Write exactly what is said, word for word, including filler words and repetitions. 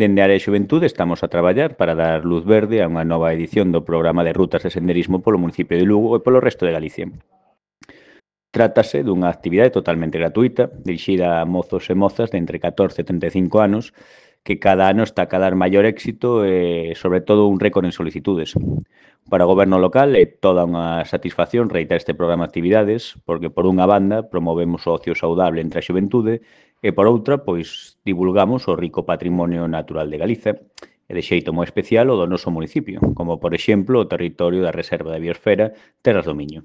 Dende a Área de Xuventude estamos a traballar para dar luz verde a unha nova edición do programa de rutas de senderismo polo municipio de Lugo e polo resto de Galicia. Trátase dunha actividade totalmente gratuita, dirixida a mozos e mozas de entre catorce e trinta e cinco anos, que cada ano está a cadar maior éxito e, sobre todo, un récord en solicitudes. Para o goberno local é toda unha satisfacción reiterar este programa de actividades, porque, por unha banda, promovemos o ocio saudable entre a xuventude e, por outra, pois divulgamos o rico patrimonio natural de Galiza e, de xeito moi especial, o do noso municipio, como, por exemplo, o territorio da Reserva da Biosfera Terras do Miño.